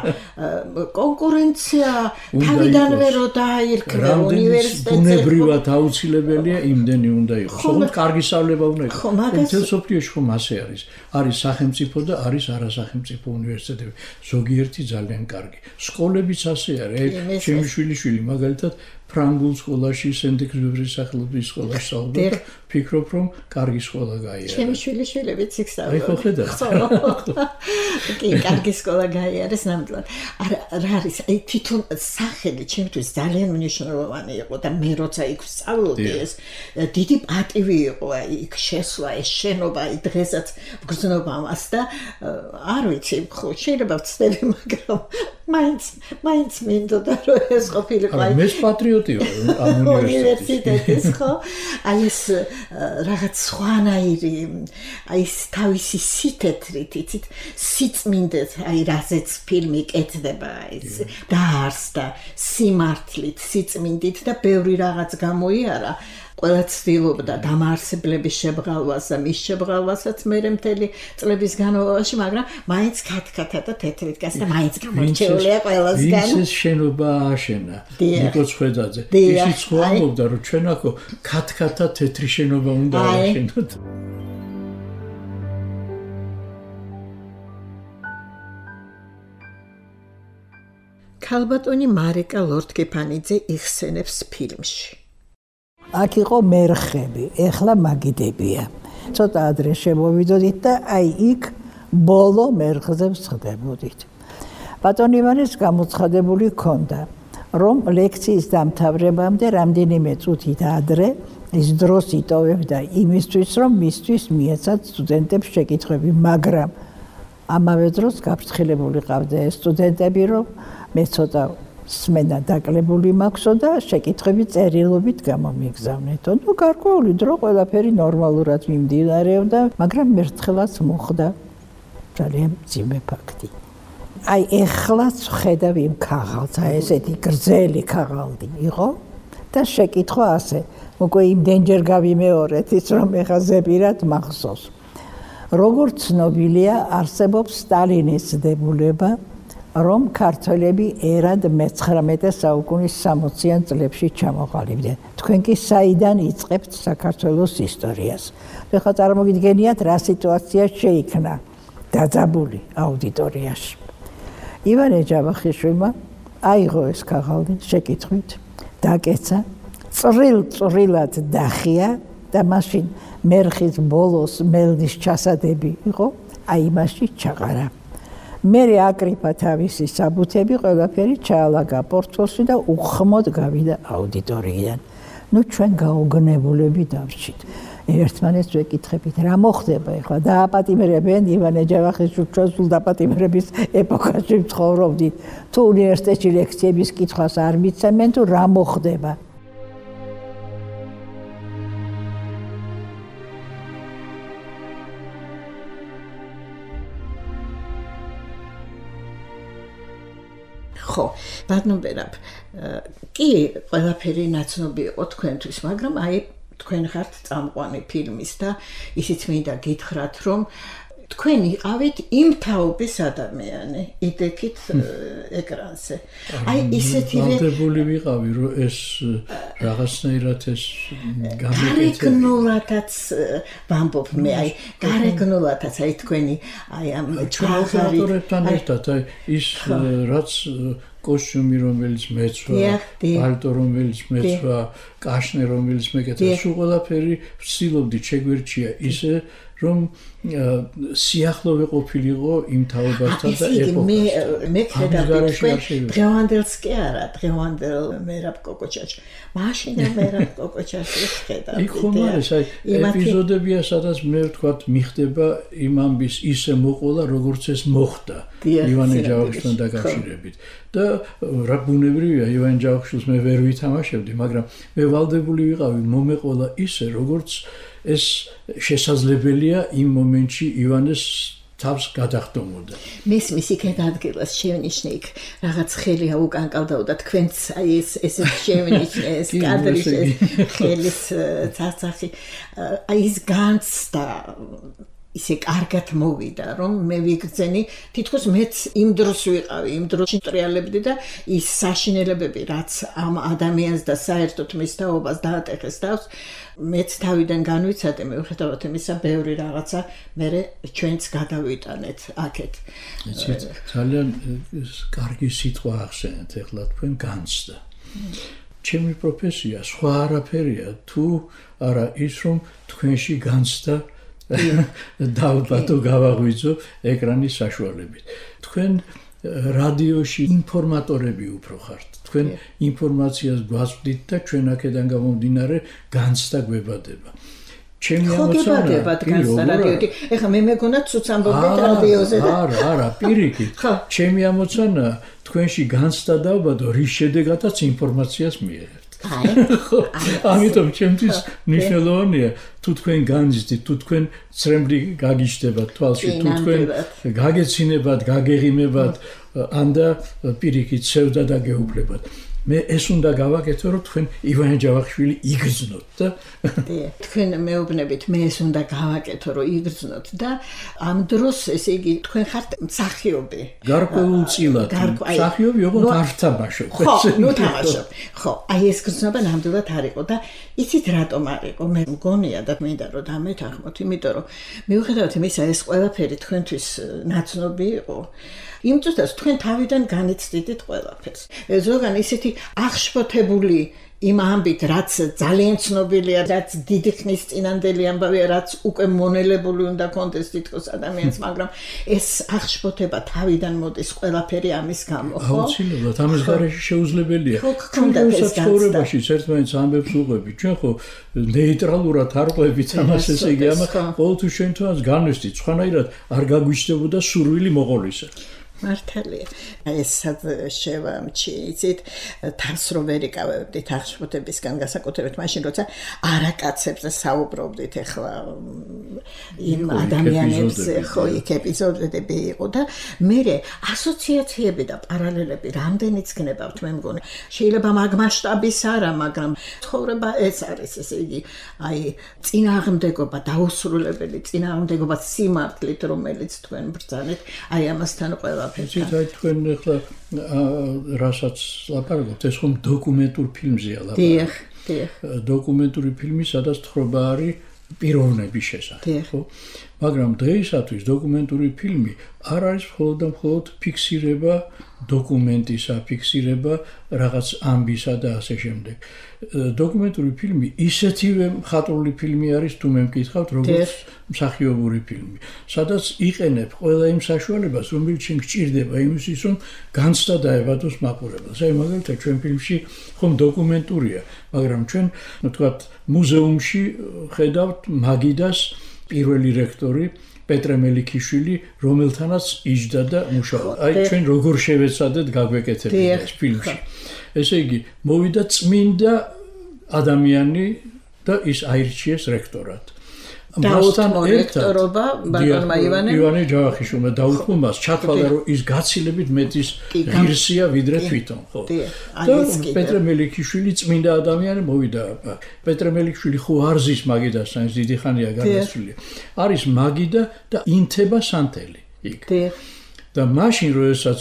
Speaker 2: კონკურენცია თავიდანვე რო დააირქვა უნივერსიტეტზე.
Speaker 3: ბუნებრივად აუცილებელია იმდენი უნდა იყოს. თუმცა კარგი სწავლება უნდა იყოს. მთელ სოფლიოში ხომ ასე არის. არის სახელმწიფო და არის არასახელმწიფო უნივერსიტეტები. ზოგიერთი ძალიან კარგი. სკოლებიც ასე არის. ჩემი შვილიშვილი მაგალითად ფრანგულ სკოლაში, სენტ-ექსუპერის სახელობის სკოლაში სწავლობდა და ფიქრობ რომ კარგი სკოლა გაიარა.
Speaker 2: ჩემი შვილიშვილებიც იქ სწავლობდა.
Speaker 3: აი ხო ხედავ.
Speaker 2: კი, კარგი სკოლა გაიარეს ნამდვილად. რა არის, აი თვითონ სახელი ჩემთვის ძალიან მნიშვნელოვანი იყო და მე როცა იქ სწავლობდი ეს დიდი პატივი იყო აი იქ შესვლა ეს შენობა აი დღესაც გრძნობა მას და არ ვიცი, ხო შეიძლება ვცდები, მაგრამ მაინც მინდოდა რომ ეს ყოფილიყო
Speaker 3: აი მე პატრიოტი ვარ ამ
Speaker 2: უნივერსიტეტის ხო აი ეს რაღაც სხვანაირი აი ეს თავისი სითეთრით იცით სიწმინდეთ აი რაზეც ფილმი კეთდება ეს დაარსდა სიმართლით სიწმინდით და ბევრი რაღაც გამოიარა ყველა ცდილობდა დამაარსებლების შებრალვას და მის შებრალვასაც მერე მთელი წლების განმავლობაში, მაგრამ მაინც ქათქათა და თეთრით გასდა მაინც გამორჩეულია ყველასგან.
Speaker 3: ის შენობა აშენა. ნიკო ცხედაძე. ისიც ხო ამბობდა რომ ჩვენ აქო ქათქათა თეთრი შენობა უნდა აშენოთ.
Speaker 2: ქალბატონი მარიკა ლორთქიფანიძე იხსენებს ფილმში.
Speaker 4: აქ იყო მერხები, ეხლა მაგიდებია. ცოტა ადრე შემოვიდოდით და აი იქ ბოლო მერხზე ვსხდებოდით. ბატონ ივანეს გამოცხადებული ჰქონდა, რომ ლექციის დამთავრებამდე რამდენიმე წუთით ადრე ის დროს იტოვებდა იმისთვის, რომ მისთვის მიეცათ სტუდენტებს შეკითხვები, მაგრამ ამავე დროს გაფრთხილებული ყავდა ეს სტუდენტები, რომ მე ცოტა სმენა დაკლებული მაქვსო და შეკითხვები წერილობით გამომიგზავნეთო. ნუ გარკვეული დრო ყველაფერი ნორმალურად მიმდინარეობდა, მაგრამ მერცხლაც მოხდა ძალიან მძიმე ფაქტი. აი ეხლაც ხედავ იმ ქაღალდს, აი ესეთი გრძელი ქაღალდი იყო და შეკითხვა ასე, უკვე იმდენჯერ გავიმეორეთ ის რომ ეხა ზეპირად მახსოვს. როგორც ცნობილია, არსებობს სტალინის დებულება რომ ქართველები ერად მე-19 საუკუნის 60-იან წლებში ჩამოყალიბდნენ. თქვენ კი საიდან იწყებთ საქართველოს ისტორიას? ეხლა წარმოგიდგენიათ რა სიტუაცია შეიქმნა დაძაბული აუდიტორიაში. ივანე ჯავახიშვილმა აიღო ეს ქაღალდი შეკითხვით, დაკეცა, წრილ-წრილად დახია და მაშინ მერხის ბოლოს მელნის ჩასადები იყო, აი იმაში ჩაყარა. მერე აკრიფა თავისი საბუთები, ყველაფერი ჩაალაგა პორტფელში და უხმოდ გავიდა აუდიტორიიდან. ნუ ჩვენ გაუგნებულები დავრჩით. ერთმანეთს ვეკითხებით, რა მოხდება ახლა? დააპატიმრებენ ივანე ჯავახიშვილს, ჩვენ სულ დაპატიმრების ეპოქაში ვცხოვრობდით. თუ უნივერსიტეტში ლექციების კითხვას არ მიცემენ, თუ რა მოხდება?
Speaker 2: ხო, ბატონბერაბ, კი, ყველაფერი ნაცნობი იყო თქვენთვის, მაგრამ აი თქვენ ხართ წამყვანი ფილმის და ისიც მინდა გითხრათ, რომ თქვენ იყავით იმ თაობის ადამიანი, იდექით ეკრანზე. აი ისეთივე
Speaker 3: ვალდებული ვიყავი, რომ ეს რაღაცნაირად ეს
Speaker 2: გარეგნულადაც ვამბობ მე, აი გარეგნულადაც, აი თქვენი აი ამ
Speaker 3: ჩვენთან ერთად აი ის რაც კოსტიუმი რომელიც მეცვა, პალტო რომელიც მეცვა, კაშნე რომელიც მეკეთა, სულ ყველაფერი ვცდილობდი შეგვერჩია ისე რომ სიახლოვე ყოფილიყო იმ თაობასთან და ეპოქასთან.
Speaker 2: მე ხედავდი დღევანდელს კი არა, დღევანდელ მერაბ კოკოჩაჩ. მაშინ მერაბ კოკოჩაჩს ხედავდი.
Speaker 3: იქ ხომ არის აი ეპიზოდებია, სადაც მე ვთქვათ მიხდება იმ ამბის ისე მოყოლა, როგორც ეს მოხდა ივანე ჯავახიშვილთან დაკავშირებით. და რა ბუნებრივია, ივანე ჯავახიშვილს მე ვერ ვითამაშებდი, მაგრამ მე ვალდებული ვიყავი მომეყოლა ისე, როგორც ეს შესაძლებელია იმ მომენტში ივანეს თავს გადახდომოდა.
Speaker 2: მის იქეთ ადგილას შევნიშნე იქ რაღაც ხელია უკანკავდა და თქვენც აი ეს შევნიშნე ეს კადრის ხელის ცაცახი აი ის განცდა ისე კარგად მოვიდა რომ მე ვიგრძენი თითქოს მეც იმ დროს ვიყავი იმ დროს ტრიალებდი და ის საშინელებები რაც ამ ადამიანს და საერთოდ მის თაობას დაატეხეს თავს მეც თავიდან განვიცადე მიუხედავად იმისა ბევრი რაღაცა მე ჩვენც გადავიტანეთ აქეთ
Speaker 3: ძალიან კარგი სიტყვა ახსენეთ ეხლა თქვენ განცდა ჩემი პროფესია სხვა არაფერია თუ არა ის რომ თქვენში განცდა დავბატო გავაღვიძო ეკრანის საშუალებით. თქვენ რადიოში ინფორმატორები უფრო ხართ. თქვენ ინფორმაციას გვაწვდით და ჩვენ აქედან გამომდინარე განცდა გვებადება. ჩემი ამოცანა
Speaker 2: რადიოთი. ეხლა მე მეგონა ცუც ამბობდით რადიოზე და
Speaker 3: არა, პირიქით. ჩემი ამოცანა თქვენში განცდა დავბადო, რის შედეგადაც ინფორმაციას მიიღებთ. ამიტომ ჩემთვის მნიშვნელოვანია თუ თქვენ განიცდით, თუ თქვენ ცრემლი გაგიჩნდებათ თვალში, თუ თქვენ გაგეცინებათ, გაგეღიმებათ, ანდა პირიქით ცევდა და გეუფლებათ. მე ეს უნდა გავაკეთო, რომ თქვენ ივანე ჯავახიშვილი იგრძნოთ და
Speaker 2: თქვენ მეუბნებით, მე ეს უნდა გავაკეთო, რომ იგრძნოთ და ამ დროს ესე იგი თქვენ ხართ მსახიობი.
Speaker 3: გარკვეულწილად მსახიობი, ოღონდ არ თამაშობ.
Speaker 2: ხო, თამაშობ. ხო, აი ეს გრძნობა ნამდვილად არ იყო და იცით რატომ არ იყო? მე მგონია და მინდა რომ დამეთანხმოთ, იმიტომ რომ მიუხედავად იმისა, ეს ყველაფერი თქვენთვის ნაცნობი იყო. იმ წუთას თქვენ თავიდან განიცდიდით ყველაფერს. ზოგან ისეთი აღშფოთებული იმ ამბით, რაც ძალიან ცნობილია, რაც დიდი ხნის წინანდელი ამბავია, რაც უკვე მონელებული უნდა კონდეს თითქოს ადამიანს, მაგრამ ეს აღშფოთება თავიდან მოდის ყველაფერი ამის გამო, ხო?
Speaker 3: აუცილებლად, ამის გარეშე შეუძლებელია. ჩვენ ცხოვრებაში ერთმანეთს ამბებს უყვებით, ჩვენ ხო ნეიტრალურად არ ყვებით ამას, ესე იგი, ყოველთვის ჩვენთვანაც განვესდით, სხვანაირად არ გაგვიჩნდებოდა სურვილი მოყოლისა.
Speaker 2: მართალია. ეს შევამჩი, იცით, თავს რომ ვერ იკავებდით აღშფოთებისგან განსაკუთრებით მაშინ, როცა არაკაცებზე საუბრობდით ახლა იმ ადამიანებზე, ხო, იქ ეპიზოდები იყო და მე ასოციაციები და პარალელები რამდენიც გნებავთ, მე მგონი. შეიძლება მაგ მასშტაბის არა, მაგრამ ცხოვრება ეს არის, ესე იგი, აი, წინააღმდეგობა, დაუსრულებელი წინააღმდეგობა სიმართლით, რომელიც თქვენ ბრძანეთ, აი ამასთან ყველა
Speaker 3: აი თქვენ ახლა რასაც ლაპარაკობთ, ეს ხომ დოკუმენტურ ფილმზეა ლაპარაკი. დიახ. დოკუმენტური ფილმი, სადაც თხრობა არის პიროვნების შესახებ, ხო? მაგრამ დღეისათვის დოკუმენტური ფილმი არ არის მხოლოდ და მხოლოდ ფიქსირება დოკუმენტისა, ფიქსირება რაღაც ამბისა და ასე შემდეგ. დოკუმენტური ფილმი ისეთივე მხატვრული ფილმი არის, თუ მე მკითხავთ, როგორც მსახიობური ფილმი, სადაც იყენებ ყველა იმ საშუალებას, რომელიც შენ გჭირდება იმისთვის, რომ განცდა დაებადოს მაყურებელს. აი მაგალითად ჩვენ ფილმში ხომ დოკუმენტურია, მაგრამ ჩვენ ვთქვათ მუზეუმში ხედავთ მაგიდას პირველი რექტორი პეტრე მელიქიშვილი, რომელთანაც იჯდა და მუშაობდა. აი ჩვენ როგორ შევეცადეთ გაგვეკეთებინა ეს ფილმში. ესე იგი, მოვიდა წმინდა ადამიანი და ის აირჩიეს რექტორად. მასთან
Speaker 2: ლექტორობა ბატონმა
Speaker 3: ივანე ჯავახიშვილმა დაუთმო მას ჩათვალა რომ ის გაცილებით მეტის ღირსია ვიდრე თვითონ ხო და პეტრე მელიქიშვილი წმინდა ადამიანი მოვიდა პეტრე მელიქიშვილი ხო არ ზის მაგიდასთან ის დიდი ხანია გადასული არის მაგიდა და ინთება სანთელი იქ და მაშინ როდესაც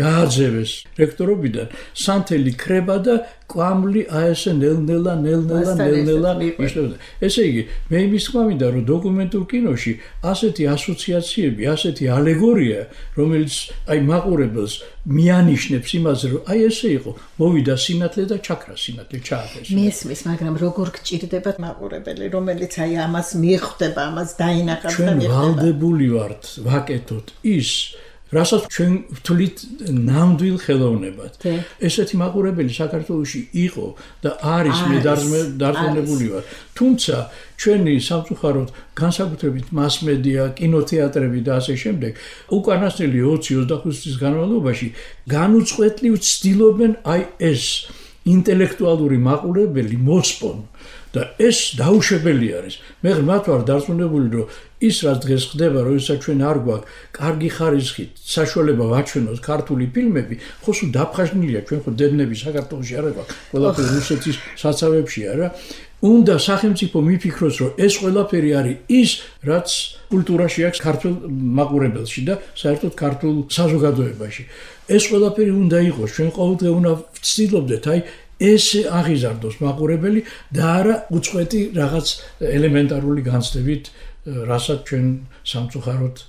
Speaker 3: გააძევეს რექტორობიდან სანთელი ქრება და კვამლი აესე ნელ-ნელა იშლებოდა. ესე იგი, მე იმის თქმა მინდა, რომ დოკუმენტურ კინოში ასეთი ასოციაციები, ასეთი ალეგორია, რომელიც აი მაყურებელს მიანიშნებს იმაზე, რომ აი ესე იყო, მოვიდა სინათლე და ჩაქრა სინათლე ჩააქეს.
Speaker 2: მესმის, მაგრამ როგორ გჭირდება მაყურებელი, რომელიც აი ამას მიხვდება, ამას დაინახავს და მიხვდება.
Speaker 3: ჩვენ ვალდებული ვართ ვაკეთოთ ის რასაც ჩვენ ვთვლით ნამდვილ ხელოვნებად. ესეთი მაყურებელი საქართველოში იყო და არის მე დარწმუნებული ვარ. თუმცა ჩვენი სამწუხაროდ განსაკუთრებით მასმედია, კინოთეატრები და ასე შემდეგ უკანასკნელი 20-25 წლის განმავლობაში განუწყვეტლივ ცდილობენ აი ეს ინტელექტუალური მაყურებელი მოსპონ და ეს დაუშვებელი არის. მე ღრმად ვარ დარწმუნებული, რომ ის რაც დღეს ხდება, როდესაც ჩვენ არ გვაქვს კარგი ხარისხით საშუალება ვაჩვენოთ ქართული ფილმები, ხო სულ დაფხაზნილია, ჩვენ ხო დედნები საქართველოში არ გვაქვს, ყველაფერი რუსეთის საცავებშია რა. უნდა სახელმწიფო მიფიქროს, რომ ეს ყველაფერი არის ის, რაც კულტურაში აქვს ქართულ მაყურებელში და საერთოდ ქართულ საზოგადოებაში. ეს ყველაფერი უნდა იყოს, ჩვენ ყოველდღე უნდა ვცდილობდეთ, აი ესე აღიზარდოს მაყურებელი და არა უწყვეტი რაღაც ელემენტარული განცდებით, რასაც ჩვენ სამწუხაროდ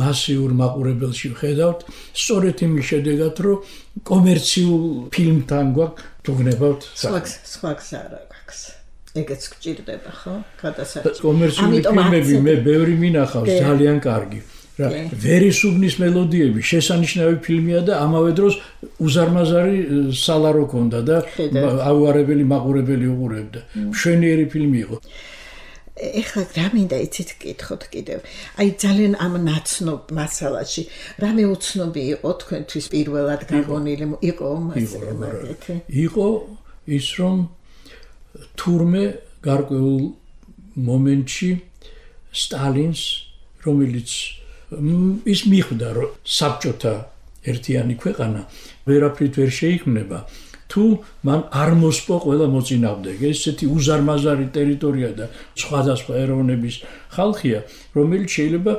Speaker 3: მასიურ მაყურებელში ვხედავთ, სწორედ იმის შედეგად, რომ კომერციულ ფილმთან გვაქვს თუგნებავთ.
Speaker 2: სხვა გზა არ აქვს. ეგეც გჭირდება, ხო? გადასარჩევი.
Speaker 3: კომერციული ფილმები მე ბევრი მინახავს ძალიან კარგი. ვერისუბნის მელოდიები შესანიშნავი ფილმია და ამავე დროს უზარმაზარი სალარო ქონდა და აუარებელი მაყურებელი უყურებდა. მშვენიერი ფილმი იყო.
Speaker 2: ეხლა რა მინდა იცით გკითხოთ კიდევ. აი ძალიან ამ ნაცნობ მასალაში რამე უცნობი იყო თქვენთვის პირველად გაგონილი იყო მაგეთი?
Speaker 3: იყო ის რომ თურმე გარკვეულ მომენტში სტალინს რომელიც ის მიხვდა რომ საბჭოთა ერთიანი ქვეყანა ვერაფრით ვერ შეიქმნება თუ მან არ მოსპო ყველა მოწინააღმდეგე ესეთი უზარმაზარი ტერიტორია და სხვადასხვა ეროვნების ხალხია რომელიც შეიძლება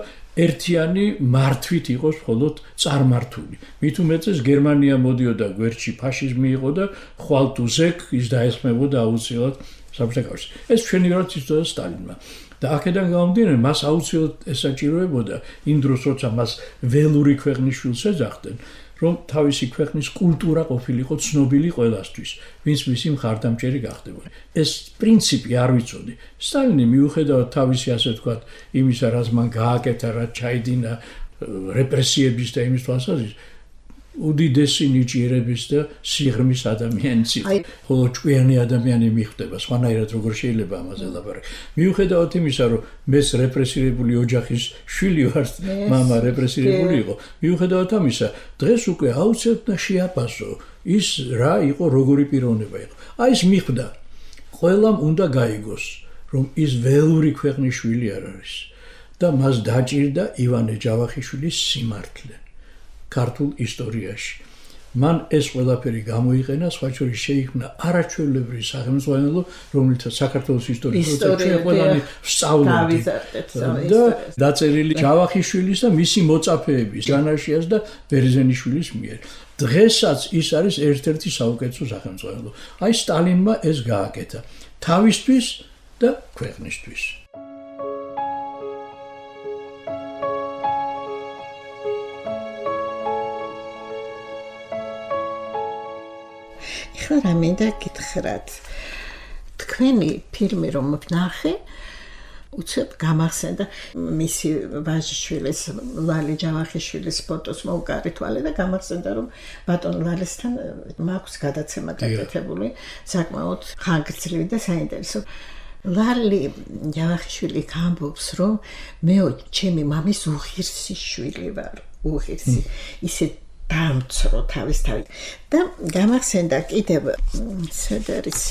Speaker 3: ერთიანი მართვით იყოს მხოლოდ წარმართული მით უმეტეს გერმანია მოდიოდა გვერდში ფაშიზმი იყო და ხვალ თუ ზეკ ის დაესხმებოდა აუცილებლად საბჭოთა კავშირს ეს ჩვენივარად იცოდა სტალინმა და აქედან გამომდინარე მას აუცილებლად ესაჭიროებოდა იმ დროს როცა მას ველური ქვეყნის შვილს ეძახდნენ რომ თავისი ქვეყნის კულტურა ყოფილიყო ცნობილი ყველასთვის ვინც მისი მხარდამჭერი გახდებოდა ეს პრინციპი არ ვიცოდი სტალინი მიუხედავად თავისი ასე ვთქვათ იმისა რაც მან გააკეთა რაც ჩაიდინა რეპრესიების და იმის თვალსაზრისით უდიდესი ნიჭიერების და სიღრმის ადამიანიც იყო. ხოლო ჭკვიანი ადამიანი მიხვდება, სხვანაირად როგორ შეიძლება ამაზე ლაპარაკი. მიუხედავად იმისა, რომ მეც რეპრესირებული ოჯახის შვილი ვარ, მამა რეპრესირებული იყო. მიუხედავად ამისა, დღეს უკვე აუცილებლად შეაფასო ის რა იყო, როგორი პიროვნება იყო. აი ეს მიხვდა. ყველამ უნდა გაიგოს, რომ ის ველური ქვეყნის შვილი არ არის და მას დაჭირდა ივანე ჯავახიშვილის სიმართლე. ქართულ ისტორიაში. მან ეს ყველაფერი გამოიყენა, სხვა შორის შეიქმნა არაჩვეულებრივი სახელმწიფო, რომელთაც საქართველოს ისტორიაში ყველანი ვსწავლობთ. და დაწერილი ჯავახიშვილის და მისი მოწაფეების, ჯანაშიას და ბერძენიშვილის მიერ. დღესაც ის არის ერთ-ერთი საუკეთესო სახელმწიფო. აი სტალინმა ეს გააკეთა თავისთვის და ქვეყნისთვის.
Speaker 2: რა მინდა გითხრათ თქვენი ფილმი რომ ვნახე უცებ გამახსენდა მისი ვაჟიშვილის ლალი ჯავახიშვილის ფოტოს მოუკარი თვალე და გამახსენდა რომ ბატონ ლალისთან მაქვს გადაცემა გაკეთებული საკმაოდ ხანგრძლივი და საინტერესო ლალი ჯავახიშვილი ამბობს რომ მე ჩემი მამის უღირსი შვილი ვარ უღირსი ისე დამცრო თავისთავად და გამახსენდა კიდევ სედერის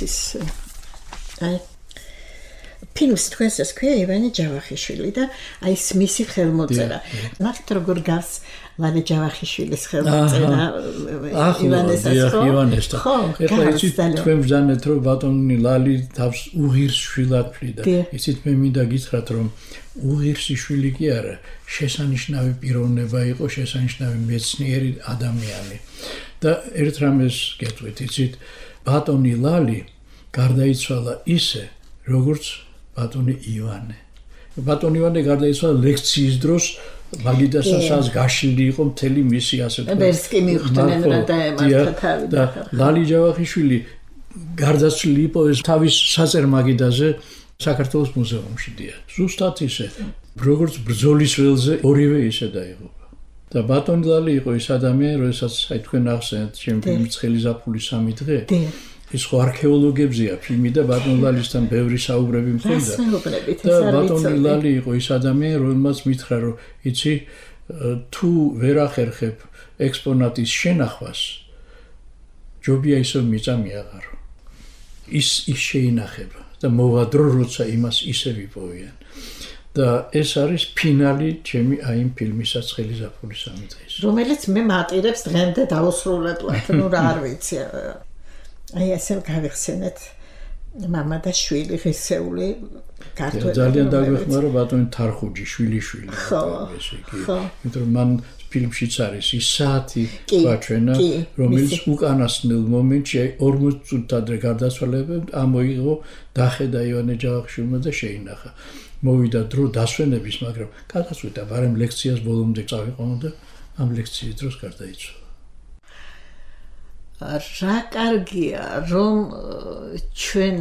Speaker 2: ფილმს თქვენს ეს ქვია ივანე ჯავახიშვილი და აი ეს მისი ხელმოწერა. ნახეთ როგორ გავს ლალე ჯავახიშვილის ხელმოწერა
Speaker 3: ივანესთან. ეხლა იცით თქვენ ბრძანეთ რომ ბატონი ლალი თავს უღირს შვილად ფლიდა. იცით მე მინდა გითხრათ რომ უღირსი შვილი კი არა, შესანიშნავი პიროვნება იყო, შესანიშნავი მეცნიერი ადამიანი. და ერთ რამეს გეტყვით, იცით, ბატონი ლალი გარდაიცვალა ისე, როგორც ბატონი ივანე. ბატონი ივანე გარდაიცვალა ლექციის დროს, მაგიდასაც გაშლილი იყო მთელი მისი ასე თქვა.
Speaker 2: ვერსკი მიხვდნენ რა დაემართა თავი
Speaker 3: და ლალი ჯავახიშვილი გარდაცვლილი იყო ეს თავის საწერ მაგიდაზე საქართველოს მუზეუმში დია. ზუსტად ისე, როგორც ბრძოლის ველზე ორივე ისე დაიღუპა. და ბატონი ლალი იყო ის ადამიანი, როდესაც აი თქვენ ახსენეთ ჩემი ფილმი ცხელი ზაფხულის 3 დღე. ის ხო არქეოლოგებზეა ფილმი და ბატონი ლალისთან ბევრი საუბრები მქონდა. და ბატონი ლალი იყო ის ადამიანი, რომელმაც მითხრა რომ იცი თუ ვერ ახერხებ ექსპონატის შენახვას ჯობია ისო მიწამიაღარო. ის შეინახება და მოვა დრო როცა იმას ისე ვიპოვიან. და ეს არის ფინალი ჩემი აი იმ ფილმისა ცხელი ზაფხულის 3 დღის.
Speaker 2: რომელიც მე მატირებს დღემდე დაუსრულებლად, ნუ რა არ ვიცი. აი ესე გავიხსენეთ მამა და შვილი ღირსეული ქართველი.
Speaker 3: ძალიან დაგვეხმარა ბატონი თარხუჯი შვილიშვილი. ესე იგი, იმიტომ რომ მან ფილმშიც არის ის საათი გვაჩვენა, რომელიც უკანასკნელ მომენტში 40 წუთით ადრე გარდაცვალებამ ამოიღო დახედა ივანე ჯავახიშვილმა და შეინახა. მოვიდა დრო დასვენების, მაგრამ გადაწყვიტა ვარემ ლექციას ბოლომდე წავიყვანო და ამ ლექციის დროს გარდაიცვალა.
Speaker 2: რა კარგია რომ ჩვენ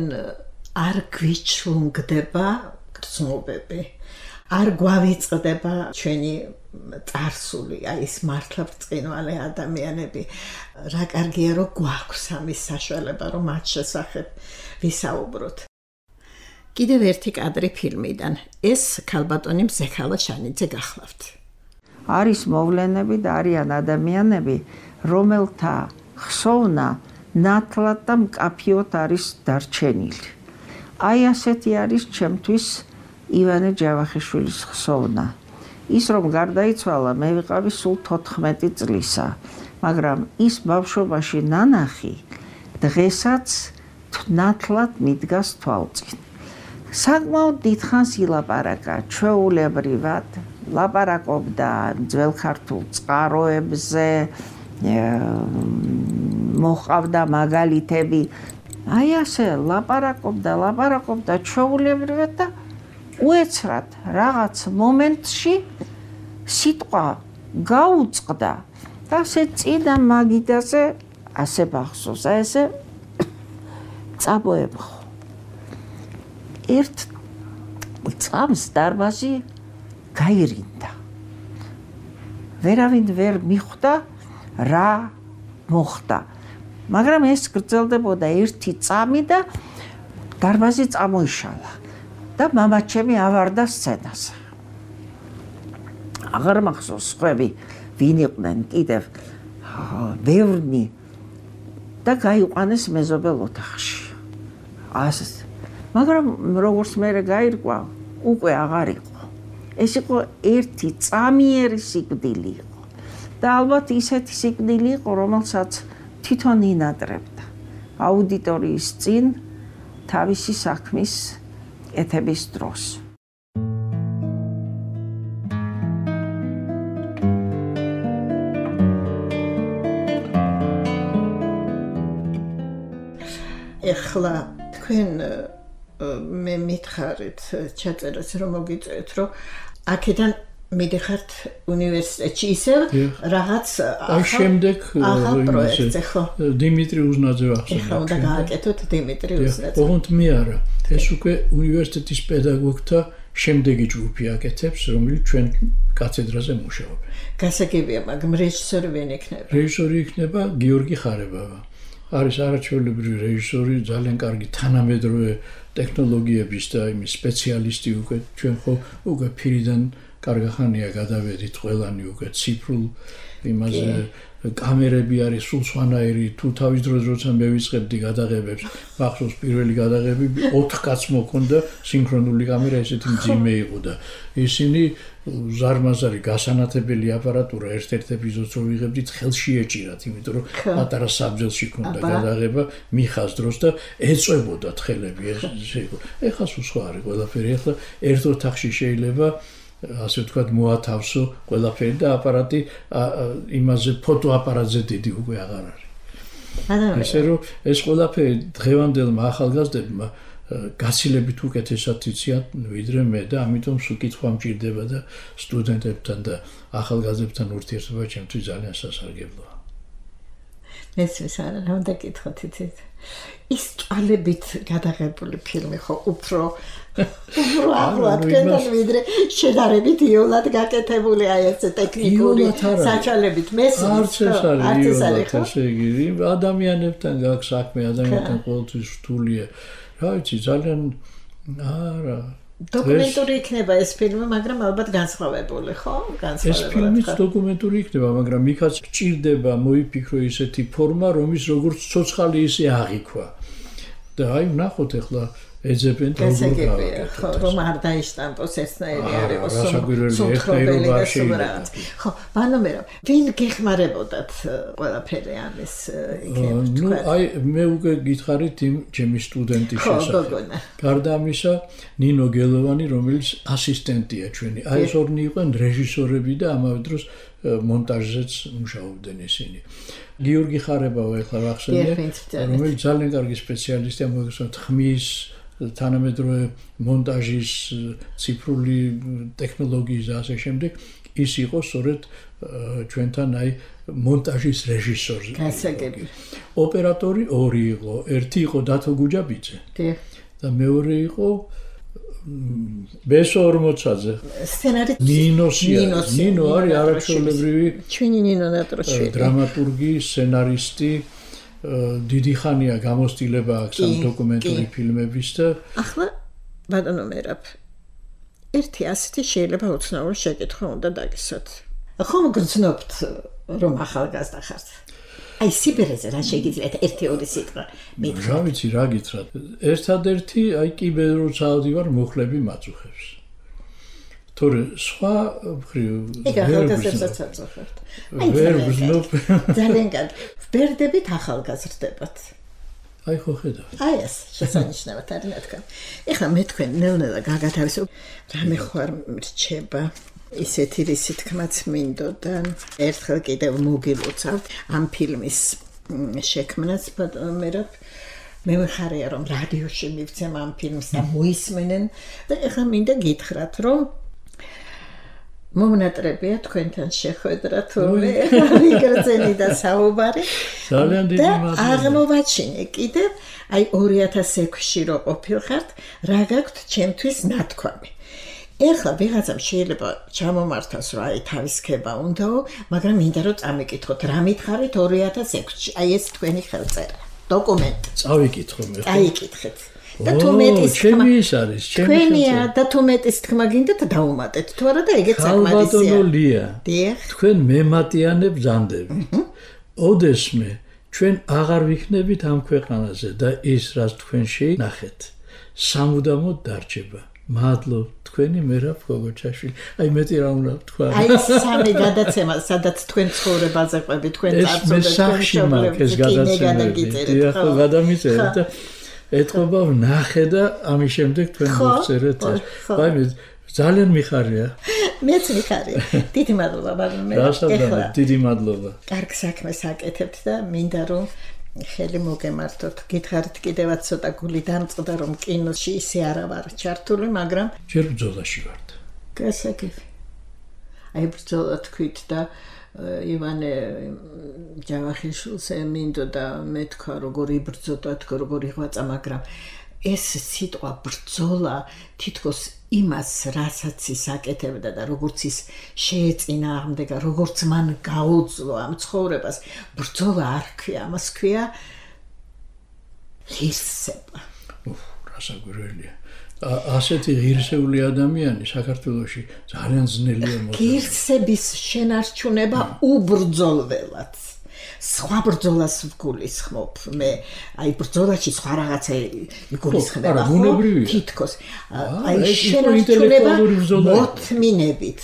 Speaker 2: არ გვიჩლუნგდება გრძნობები, არ გვავიწყდება ჩვენი წარსული, აი ეს მართლა ბრწყინვალე ადამიანები. რა კარგია რომ გვაქვს ამის საშუალება რომ მათ შესახებ ვისაუბროთ. კიდევ ერთი კადრი ფილმიდან. ეს ქალბატონი მზექალა შანიძე გახლავთ.
Speaker 4: არის მოვლენები და არიან ადამიანები, რომელთა ხსოვნა ნათლად და მკაფიოდ არის დარჩენილი. აი ასეთი არის ჩემთვის ივანე ჯავახიშვილის ხსოვნა. ის რომ გარდაიცვალა, მე ვიყავი სულ 14 წლისა, მაგრამ ის ბავშვობაში ნანახი დღესაც ნათლად მიდგას თვალწინ. საკმაოდ დიდხანს ილაპარაკა ჩვეულებრივად, ლაპარაკობდა ძველ ქართულ წყაროებზე, მოყავდა მაგალითები. აი ასე ლაპარაკობდა ჩვეულებრივად და უეცრად რაღაც მომენტში სიტყვა გაუწყდა და ასე წინა მაგიდაზე ასე ბახსოვს, ესე წაბოებხო. ერთ წამს დარბაზი გაირინდა. ვერავინ ვერ მიხვდა რა მოხდა. მაგრამ ეს გრძელდებოდა ერთი წამი და დარბაზი წამოიშალა და მამაჩემი ავარდა სცენაზე. აღარ მახსოვს სხვები ვინ იყვნენ კიდევ ბევრნი და გაიყვანეს მეზობელ ოთახში. მაგრამ როგორც მე გაირკვა, უკვე აღარ იყო. ეს იყო ერთი წამიერი სიკვდილი იყო. და ალბათ ისეთი სიკვდილი იყო, რომელსაც თვითონ ინატრებდა აუდიტორიის წინ თავისი საქმის კეთების დროს.
Speaker 2: ეხლა თქვენ მე მითხარით ჩაწერას რომ მოგიწევთ რომ აქედან მიდიხართ უნივერსიტეტში ისევ რაღაც
Speaker 3: შემდეგ
Speaker 2: პროექტზე ხო
Speaker 3: დიმიტრი უზნაძე ახსენე
Speaker 2: ხო და გააკეთოთ დიმიტრი უზნაძე
Speaker 3: ოღონდ მე არა ეს უკვე უნივერსიტეტის პედაგოგთა შემდეგი ჯგუფი აკეთებს რომელიც ჩვენ კათედრაზე მუშაობენ
Speaker 2: გასაგებია მაგრამ რეჟისორი ვინ იქნება
Speaker 3: რეჟისორი იქნება გიორგი ხარებავა არის არაჩვეულებრივი რეჟისორი ძალიან კარგი თანამედროვე ტექნოლოგიების და იმის სპეციალისტი უკვე ჩვენ ხო უკვე ფირიდან კარგახანია გადავედით ყველანი უკვე ციფრულ იმაზე კამერები არის სულ სხვანაირი, თუ თავის დროზე როცა მე ვიწყებდი გადაღებებს, მახსოვს პირველი გადაღებები 4 კაცს მოქონდა სინქრონული კამერა, ესეთი მძიმე იყო და ისინი ზარმაზარი გასანათებელი აპარატურა ერთ-ერთ ეპიზოდს რო ვიღებდით ხელში ეჭირათ, იმიტომ რომ პატარა საბძელში ქონდა გადაღება მიხას დროს და ეწვებოდა თხელები ესე იყო. ეხლა სულ სხვა არის ყველაფერი, ეხლა ერთ ოთახში შეიძლება ასე ვთქვათ მოათავსო ყველაფერი და აპარატი იმაზე ფოტოაპარატზე დიდი უკვე აღარ არის. ესე რომ ეს ყველაფერი დღევანდელმა ახალგაზრდებმა გაცილებით უკეთესად იციან ვიდრე მე და ამიტომ სულ კითხვა მჭირდება და სტუდენტებთან და ახალგაზრდებთან ურთიერთობა ჩემთვის ძალიან სასარგებლოა.
Speaker 2: მეც არა უნდა კითხოთ იცით. ის წვალებით გადაღებული ფილმი ხო უფრო ახლო თქვენთან ვიდრე შედარებით იოლად გაკეთებული აი ეს ტექნიკური საშუალებით
Speaker 3: არც ეს არის ესე იგი ადამიანებთან გაქვს საქმე ადამიანთან ყოველთვის რთულია რა ვიცი ძალიან არა
Speaker 2: დოკუმენტური იქნება ეს ფილმი მაგრამ ალბათ განსხვავებული ხო
Speaker 3: ეს ფილმიც დოკუმენტური იქნება მაგრამ იქაც გჭირდება მოიფიქრო ისეთი ფორმა რომის როგორც ცოცხალი ისე აღიქვა და აი ვნახოთ ახლა ეძებენ
Speaker 2: ხო რომ არ დაიშტამპოს ესნაირი არის სულთრობელი და სუბრად ხო ბანომერო ვინ გეხმარებოდათ ყველაფერი ამის
Speaker 3: ნუ აი მე უკვე გითხარით იმ ჩემი სტუდენტის შესახებ გარდა ამისა ნინო გელოვანი რომელიც ასისტენტია ჩვენი აი ეს ორნი იყვნენ რეჟისორები და ამავე დროს მონტაჟზეც მუშაობდნენ ისინი გიორგი ხარებავა ეხლა ვახსენე რომელიც ძალიან კარგი სპეციალისტია მოგესალმებით ხმის თანამედროვე მონტაჟის ციფრული ტექნოლოგიის და ასე შემდეგ ის იყო სწორედ ჩვენთან აი მონტაჟის რეჟისორი.
Speaker 2: გასაგები.
Speaker 3: ოპერატორი ორი იყო, ერთი იყო დათო გუჯაბიძე. და მეორე იყო ბესო ორმოცაძე.
Speaker 2: სცენარი
Speaker 3: ნინო არის არაჩვეულებრივი
Speaker 2: ჩვენი ნინო ნატროშვილი.
Speaker 3: დრამატურგი, სცენარისტი დიდი ხანია გამოსtildeება აქვს ამ დოკუმენტური ფილმების და
Speaker 2: ახლა ბატონო მერაბ ერთი ასეთი შეიძლება უცნაური შეკითხვა უნდა დაგისვათ. ხომ გრძნობთ რომ ახალგაზრდა ხართ? აი სიბერეზე რა შეგიძლიათ ერთი-ორი სიტყვა მითხრათ?
Speaker 3: რა ვიცი რა გითხრათ. ერთადერთი აი კიბერ როცა ავდივარ მოხლები მაწუხებს. თორე სხვა
Speaker 2: ვერ გრძნობ. ძალიან კარგი. ვბერდებით ახალგაზრდებათ.
Speaker 3: აი ხო ხედავთ.
Speaker 2: აი ეს შესანიშნავად არის რა თქმა. ეხლა მე თქვენ ნელ-ნელა გაგათავისო რამე ხوار რჩება. ისეთი რისი თქმაც მინდოდა. ერთხელ კიდევ მოგილოცავთ ამ ფილმის შექმნას მერაბ მე ვიხარია რომ რადიოში მივცემ ამ ფილმს და მოისმენენ და ეხლა მინდა გითხრათ რომ მომნატრებია თქვენთან შეხვედრა თურმე მიგრძენი და საუბარი
Speaker 3: ძალიან დიდი მადლობა
Speaker 2: აღმოვაჩინე კიდევ აი 2006-ში რო ყოფილხართ რა გაქვთ ჩემთვის ნათქვამი ეხლა ვიღაცამ შეიძლება ჩამომართოს რომ აი თავისქება უნდაო მაგრამ მინდა რომ წამიკითხოთ რა მითხარით 2006-ში აი ეს თქვენი ხელწერა დოკუმენტი
Speaker 3: წავიკითხო მე
Speaker 2: წაიკითხეთ და თუ მეტის
Speaker 3: თქმა ჩემი არის
Speaker 2: თქვენია და თუ მეტის თქმა გინდათ დაუმატეთ თუ არა და ეგეც საკმარისია
Speaker 3: ბატონოლია თქვენ მემატიანებ ბრძანდებით ოდესმე ჩვენ აღარ ვიქნებით ამ ქვეყანაზე და ის რაც თქვენში ნახეთ სამუდამოდ დარჩება მადლობ თქვენი მერაბ გოგოჩაშვილი აი მეტი რა უნდა თქვა
Speaker 2: აი სამი გადაცემა სადაც თქვენ ცხოვრებაზე ყვები თქვენ წარსულზე
Speaker 3: თქვენ შობლებს გადაცემა ხო გადამიწერეთ და ეთქობა ვნახე და ამის შემდეგ თქვენ მოვწერეთ აი მე ძალიან მიხარია
Speaker 2: მეც მიხარია დიდი მადლობა ბატონო
Speaker 3: ეხლა დიდი მადლობა
Speaker 2: კარგ საქმეს აკეთებთ და მინდა რომ ხელი მოგემართოთ გითხარით კიდევაც ცოტა გული დამწყდა რომ კინოში ისე არა ვარ ჩართული მაგრამ
Speaker 3: ჯერ ბრძოლაში ვარ
Speaker 2: გასაგები აი ბრძოლა თქვით და ივანე ჯავახიშვილს მინდოდა მეთქვა როგორ იბრძოდა როგორ იღვაწა მაგრამ ეს სიტყვა ბრძოლა თითქოს იმას რასაც ის აკეთებდა და როგორც ის შეეწინააღმდეგა როგორც მან გაუძლო ამ ცხოვრებას ბრძოლა არ ქვია ამას ქვია ღირსება
Speaker 3: რასაკვირველია ასეთი ღირსეული ადამიანი საქართველოში ძალიან ძნელია მოხდა
Speaker 2: ღირსების შენარჩუნება უბრძოლველად სხვა ბრძოლას ვგულისხმობ მე აი ბრძოლაში სხვა რაღაცა იგულისხმება თითქოს აი შენარჩუნება მოთმინებით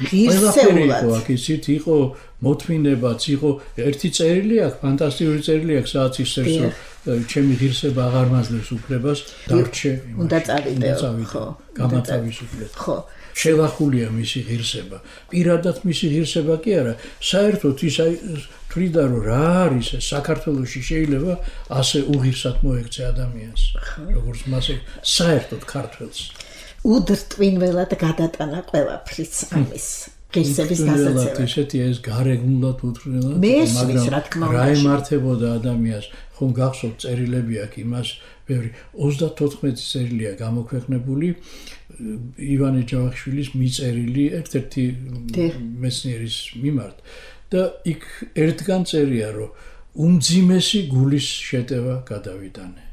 Speaker 2: ღირსეულად
Speaker 3: აქ იყო მოთმინებაც იყო ერთი წერილი აქვს ფანტასტიკური წერილი აქვს სადაც ისევ ჩემი ღირსება აღარ მაძლევს უფლებას დარჩე
Speaker 2: უნდა წავიდეო ხო
Speaker 3: გამათავისუფლეთ ხო შელახულია მისი ღირსება პირადად მისი ღირსება კი არა საერთოდ ის აი თვლიდა რომ რა არის საქართველოში შეიძლება ასე უღირსად მოექცე ადამიანს როგორც მასე საერთოდ ქართველს
Speaker 2: უდრტვინველად გადატანა ყველაფრის ამის ღირსების დასაცავად
Speaker 3: ისეთი ეს გარეგნულად უთხრელად
Speaker 2: მაგრამ
Speaker 3: რა ემართებოდა ადამიანს ხომ გახსოვთ წერილები აქვს იმას ბევრი 34 წერილია გამოქვეყნებული ივანე ჯავახიშვილის მიწერილი ერთ-ერთი მეცნიერის მიმართ და იქ ერთგან წერია რომ უმძიმესი გულის შეტევა გადავიტანე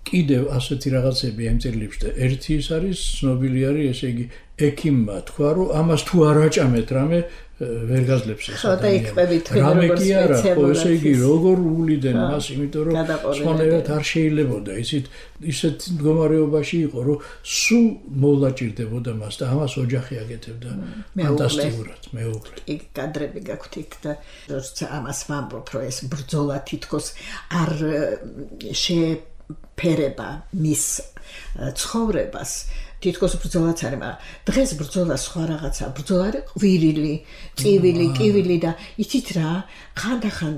Speaker 3: კიდევ ასეთი რაღაცები ამ წერილებში და ერთი ის არის ცნობილი არის ესე იგი ექიმმა თქვა რომ ამას თუ არ აჭამეთ რამე ვერ გაძლებს ეს
Speaker 2: რამე
Speaker 3: კი არა ხო ესე იგი როგორ უვლიდენ მას იმიტომ რომ სხვანაირად არ შეიძლებოდა ისეთ მდგომარეობაში იყო რომ სულ მოვაჭირდებოდა მას და ამას ოჯახი აკეთებდა ფანტასტიკურად მეუღლე
Speaker 2: იქ კადრები გაქვთ იქ და როცა ამას ვამბობ რომ ეს ბრძოლა თითქოს არ შეფერება მის ცხოვრებას თითქოს ბრძოლაც არის, მაგრამ დღეს ბრძოლა სხვა რაღაცა, ბრძოლა არის ყვირილი, წივილი, კივილი და იცით რა, ხანდახან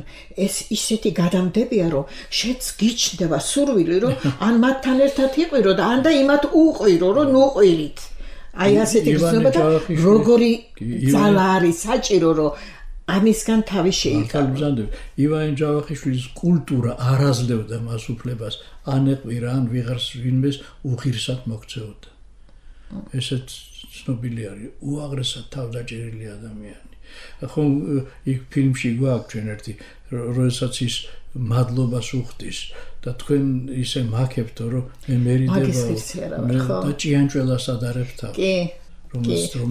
Speaker 2: ეს ისეთი გადამდებია, რომ შეც გიჩნდება სურვილი, რომ ან მათთან ერთად იყვირო და ან და იმათ უყვირო, რომ ნუყვირით. აი ასეთი გრძნობა და როგორი ძალა არის საჭირო, რომ ამისგან თავი შეიკავო.
Speaker 3: ივანე ჯავახიშვილის კულტურა არ აძლევდა მას უფლებას ან ეყვირა, ან ვიღარს ვინმეს უღირსად მოქცეოდა. ესეც ცნობილი არის უაღრესად თავდაჭერილი ადამიანი. ხომ იქ ფილმში გვაქვს ჩვენ ერთი როდესაც ის მადლობას უხდის და თქვენ ისე მაქებთო რომ მე მერიდება და ჭიანჭველას ადარებ თავს.
Speaker 2: კი.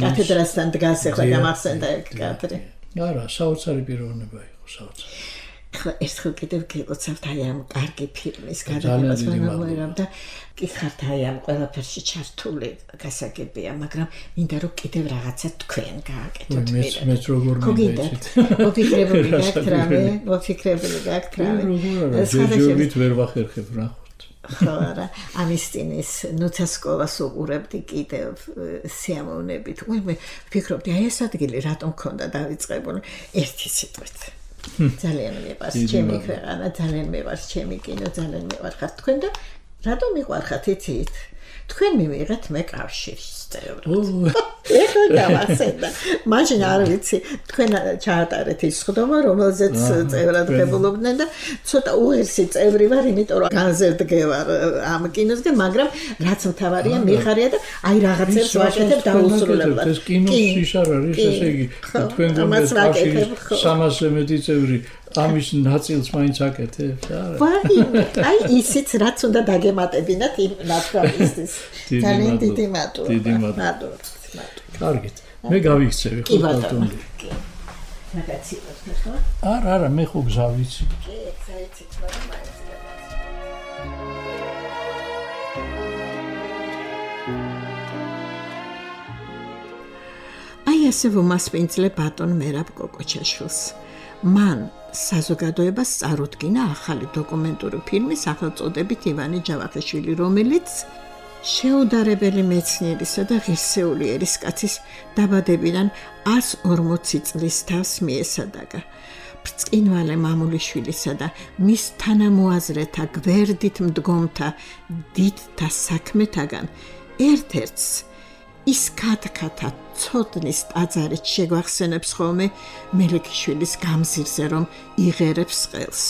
Speaker 2: კათედრასთან დგას ახლა გამახსენდა ეგ კადრი.
Speaker 3: არა, საოცარი პიროვნება იყო, საოცარი.
Speaker 2: ერთხელ კიდევ გილოცავთ აი ამ კარგი ფილმის გადაღებას ვანამოერამ და გიხართ აი ამ ყველაფერში ჩართული გასაგებია, მაგრამ მინდა რომ კიდევ რაღაცა თქვენ გააკეთოთ
Speaker 3: მე. მეც როგორ მინდეთ.
Speaker 2: მოფიქრებული გაქვთ რამე, მოფიქრებული გაქვთ რამე.
Speaker 3: ჯერჯერობით ვერ ვახერხებ ნახოთ.
Speaker 2: ხო, არა, ამისტინის ნუცასკოვას უყურებდი კიდევ სიამოვნებით. მე ვფიქრობდი აი ეს ადგილი რატომ ქონდა დავიწყებული ერთი სიტყვით. ძალიან მიყვარს ჩემი ქვეყანა, ძალიან მიყვარს ჩემი კინო, ძალიან მიყვარხართ თქვენ და რატომ მიყვარხართ იცით? თქვენ მივიღეთ მე კავშირის წევრად. ეხლა გავახსენდა. მაშინ არ ვიცი, თქვენ ჩაატარეთ ის ხდომა, რომელზეც წევრად ღებულობდნენ და ცოტა უერსი წევრი ვარ, იმიტომ რომ განზერდგევარ ამ კინოსგან, მაგრამ რაც მთავარია, მიხარია და აი რაღაცებს ვაკეთებ დაუსრულებლად.
Speaker 3: ეს კინოში არ არის, ესე იგი, თქვენ კავშირის 300-ზე მეტი წევრი ამის ნაწილს მაინც აკეთებს, არა?
Speaker 2: აი ისიც რაც უნდა დაგემატებინათ იმ ნათქვამისთვის. ძალიან დიდი მადლობა.
Speaker 3: დიდი მადლობა. კარგით. მე გავიქცევი ხო ბატონო.
Speaker 2: მაგაცილოს ხო?
Speaker 3: არა, მე ხო გზავიცი.
Speaker 2: კი, გზავიცით, მაგრამ მაინც. აი ასე ვუმასპინძლე ბატონ მერაბ კოკოჩაშვილს. მან საზოგადოებას წარუდგინა ახალი დოკუმენტური ფილმი სახელწოდებით ივანე ჯავახიშვილი, რომელიც შეუდარებელი მეცნიერისა და ღირსეული ერისკაცის დაბადებიდან 140 წლის თავს მიესადაგა. ბრწყინვალე მამულიშვილისა და მის თანამოაზრეთა გვერდით მდგომთა დიდთა საქმეთაგან ერთ-ერთს ის კათკათა ცოდნის ტაძარით შეგვახსენებს ხოლმე მელიქიშვილის გამზირზე, რომ იღერებს ყელს.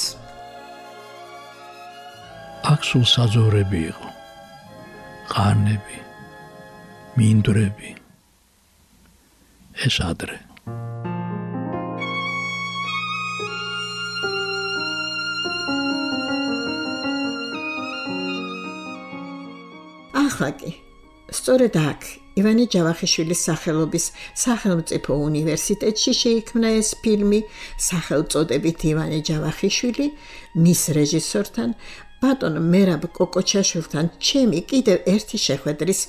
Speaker 3: აქ სულ საძოვრები იყო, ყარნები, მინდვრები, ეს ადრე.
Speaker 2: ახლა კი სწორედ აქ ივანე ჯავახიშვილის სახელობის სახელმწიფო უნივერსიტეტში შეიქმნა ეს ფილმი სახელწოდებით ივანე ჯავახიშვილი მის რეჟისორთან ბატონ მერაბ კოკოჩაშვილთან ჩემი კიდევ ერთი შეხვედრის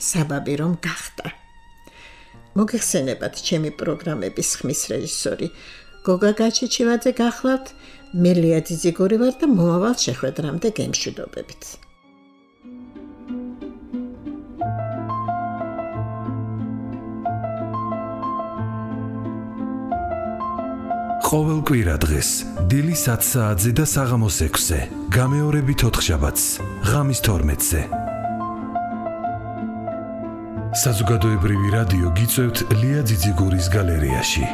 Speaker 2: საბაბი რომ გახდა. მოგეხსენებათ ჩემი პროგრამების ხმის რეჟისორი გოგა გაჩიჩივაძე გახლავთ, მე ლია ძიძიგური ვარ და მომავალ შეხვედრამდე გემშვიდობებით.
Speaker 5: ყოველ კვირა დღეს დილის 10 საათზე და საღამოს 6-ზე, გამეორებით 4 შაბათს, ღამის 12-ზე. საზოგადოებრივი რადიო გიწევთ ლია ძიძიგურის გალერეაში.